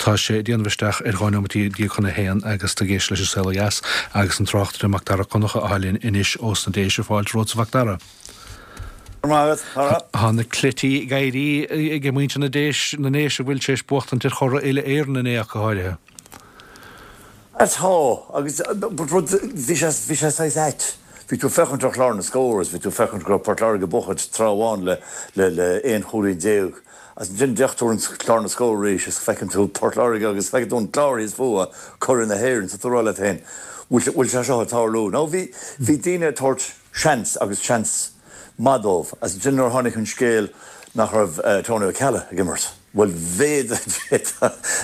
Tá sé ag déanamh isteach ar 12 nóimeataí chun a haon agus tú ag éisteacht leis An Saol Ó Dheas agus an tráchtaire Macdara Connacha atá linn anois ós na Déise. Fáilte romhat a Mhacdara. Tá na cleití ag éirí ag muintir na Déis, na nDéise a bhfuil tar éis buachtaint ar churaidh uile-Éireann inné ach go háirithe. Tá, agus rud, bhí sé, bhí sé saghas ait. Bhí tú ag féachaint ar chlár na scór agus bhí tú ag féachaint go raibh Port Láirge ag buachaint tráth amháin le, le, le 11 chúilín. Agus ansin d'fhéach tú ar an chlár na scór arís is feiceann tú Port Láirge agus feiceann tú an clár thíos fúthu, curaidh na hÉireann. So tú ag rá leat féin, bhfuil, bhfuil sé seo ag tarlú? Now bhí, bhí daoine ag tabhairt seans agus seans maith dóibh. Agus ansin nuair a tháinig an scéal nach raibh Tony Ó Ceallaigh ag imirt, bhuel mhéadaigh,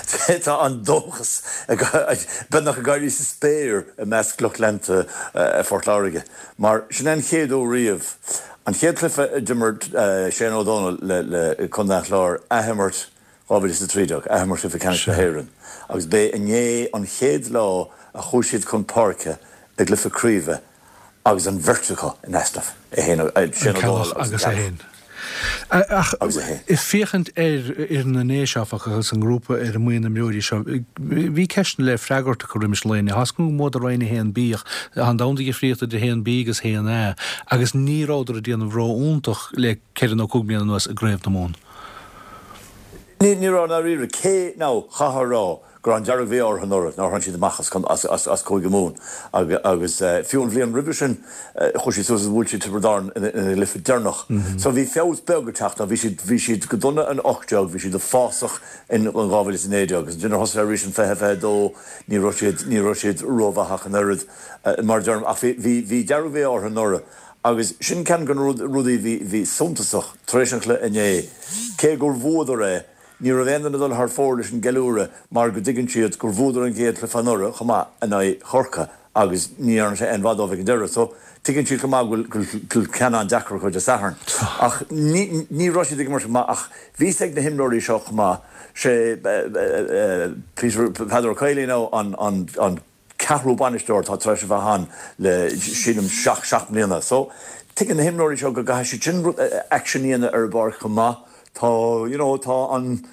d'fhéadfá an dóchas beagnach ag éirí sa spéir i measc lucht leanta Phort Láirge. Mar sin é an chéad uair riamh, an chéad chluiche a d'imir Shane Ó Dónaill le Contae an Chláir, athimirt 2013, athimirt chluiche ceannais na hÉireann, agus b'é inné an chéad lá a chuaigh siad chun páirce i gcluiche craoibhe agus an bheirt acu in easnamh, é féin, Shane Ó Dónaill agus an Ceallach. Ach ag féachaint ar fhoireann na nDéise, áfach, agus an grúpa ar an mbuíon imreoirí seo, bhí ceisteanna le freagairt acu roimis an lae inniu. Tá 's agam go mbuadar Roinn 1B ach tá an domhan de dhifríocht idir 1B agus 1A agus ní rabhadar ag déanamh ró-iontach le ceithre nó cúig bliana anuas i gCraobh na Mumhan. Ní raibh, ndáiríre. Cé, now, chaithfeá a rá go raibh an dearg-mhí-ádh orthu anuraidh nár tháinig siad amach as Cúige Mumhan agus fiú an bhliain roimhe sin chuaigh siad suas agus bhuail siad Tiobraid Árann ina gcluiche deireanach. So bhí feabhas beag ag teacht. Now bhí siad bhí siad go dona in 18, bhí siad uafásach in 2019 agus ansin nuair thosaigh arís in 2022 ní raibh siad ní raibh siad rómhaith ach an oiread mar a deirim ach bhí bhí bhí dearg-mhí-ádh orthu anuraidh agus sin ceann de na rudaí a bhí bhí suntasach tar éis an chluiche inné cé gur bhuadar é Ní raibh aon duine ag dul thar fóir leis an gceiliúradh mar go dtuigeann siad gur bhuadar an chéad chluiche anuraidh chomh maith in aghaidh Chorcaí agus ní dhearna sé aon mhaith dóibh ag an deireadh. So, tuigeann siad chomh maith go bhfuil ceann an-deacair acu Dé Sathairn. Ach ní ní raibh siad ag imirt go maith ach bhí 's ag na himreoirí seo chomh maith, sé Peter, Peadar Ó Caoláin now an an an ceathrú bainisteoir atá tar éis a bheith ann le sílim 7 mbliana. So, tuigeann na himreoirí seo go gcaithfidh siad sin rud, action a dhéanamh ar an bpáirc chomh maith. Tá, you know, tá an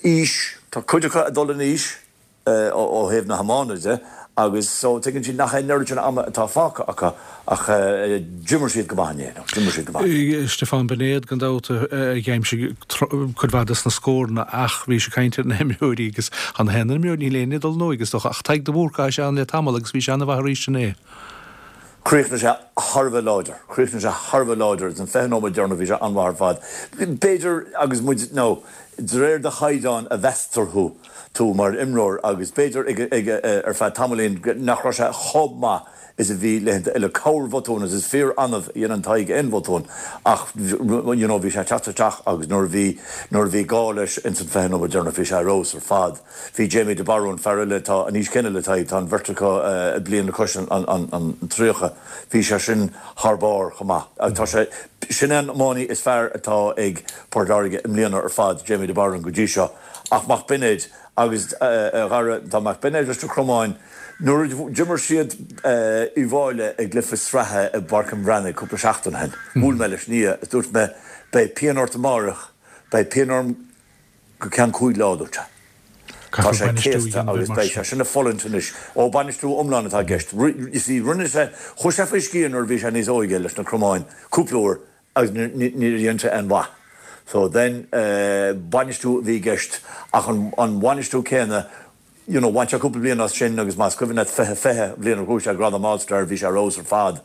aois, tá cuid acu ag dul in aois ó thaobh na hiomána de agus so tuigeann siad nach é an oiread sin ama atá fágtha acu Ach d'imir siad go maith inné, nó d'imir siad go maith. Stiofán Beinéad, gan dabht, a d'aimsigh cuid mhaith des na scóranna ach bhís ag caint ar na himreoirí agus tá na haon imreoir, níl éinne ag dul in óige is dócha, ach Tadhg de Búrca, tá sé ann le tamall agus bhí sé an-mhaith arís inné. Chríochnaigh sé thar a bheith láidir. Chríochnaigh sé thar a bheith láidir. San 20 nóiméad deireanach bhí sé an-mhaith ar fad. B'fhéidir, agus muid, nó de réir do chaighdeáin a mheastar thú, tú mar imreoir agus b'fhéidir ag, ar feadh tamaillín nach raibh sé chomh maith is a bhí laethanta eile. Corr-bhotún agus is fíor annamh a dhéanann Tadhg aon bhotún ach you know bhí sé ag teacht isteach agus nuair a bhí nuair a bhí gá leis ins an 20 nóiméad deireanach bhí sé ar fheabhas ar fad. Bhí Jamie de Barún, fear eile atá an aois chéanna le Tadhg, tá an bheirt acu bliain le cois an an an 30, bhí sé sin thar barr chomh maith. Tá sé, sin é an iománaí is fearr atá ag Port Láirge i mbliana ar fad, Jamie de Barún go dtí seo ach Mac Beinéid agus a Dhara, tá Mac Beinéid leis na Cromáin, Nuair a d'imir siad Uíbh Fhailí i gcluiche sraithe i bPáirc an Bhreathnaigh cúpla seachtain ó shin, bhuail mé leis ina dhiaidh is dúirt mé, 'Beidh pian ort amáireach, beidh pian orm go ceann cúig lá, a dúirt sé. Tá sé céasta agus beidh sé sin ag fulaingt anois. Ó, bainistiú iomlán atá i gceist. You see, rinne sé, chuaigh sé faoi sciath nuair a bhí sé níos óige leis na Cromáin cúpla uair agus níor dhein sé aon mhaith. So then, bainistiú a bhí i gceist ach an bhainistiú céanna, you know, bhain sé cúpla bliain as sin agus más cuimhin leat 2020, an bhliain a ghnóthaigh sé gradam All Star, bhí sé ar fheabhas ar fad.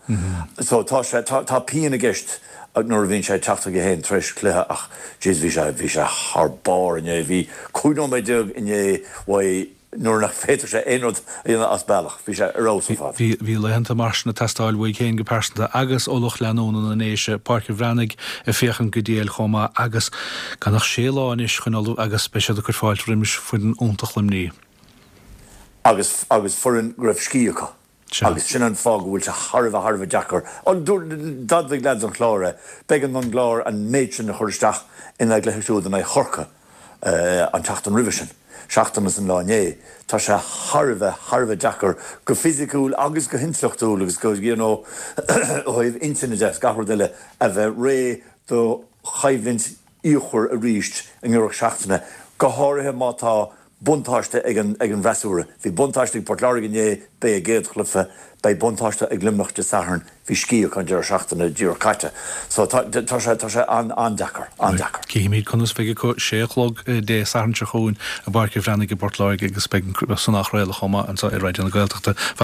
So tá sé, tá, tá pian i gceist nuair a bhíonn sé ag teacht chuige féin tar éis cluiche ach jeez bhí sé, bhí sé thar barr inné. Bhí 15 nóiméad inné uaidh nuair nach bhféadfadh sé aon rud a dhéanamh as bealach. Bhí sé ar fheabhas ar fad. Bhí, bhí laethanta mar sin ag teastáil uaidh féin go pearsanta agus ó lucht leanúna na nDéise, Páirc an Bhreathnaigh ag féachaint go diail chomh maith agus gan ach sé lá anois chun ullmhú agus beidh siad ag cur fáilte roimis foireann iontach Luimnigh. Agus, agus foireann go raibh scíth acu. Sea. Agus sin an fáth go bhfuil sé thar a bheith, thar a bheith deacair. D'admhaigh leaids an Chláir é. B'éigean don gClár an méid sin a chur isteach ina gcluiche siúd in aghaidh Chorcaí an tseachtain roimhe sin, seachtain is an lá inné. Tá sé thar a bheith, thar a bheith deacair go fisiciúil agus go hintleachtúil agus go, you know, ó thaobh intinne de is gach rud eile a bheith réidh do choimhlint fhíochmhar arís i ngiorracht seachtaine, go háirithe má tá. buntáiste ag an ag an bhfreasúra. Bhí buntáiste ag Port Láirge inné, b'é a gcéad chluiche, beidh buntáiste ag Luimneach Dé Sathairn, bhí scíth acu an deireadh seachtaine díreach caite. So tá tá sé tá sé an-an-deacair, an-deacair. Cífimid conas a bheidh acu sé a chlog Dé Sathairn seo chugainn i bPáirc an Bhreathnaigh i bPort Láirge agus beidh san á chraoladh chomh maith anseo ar Raidió na Gaeltachta.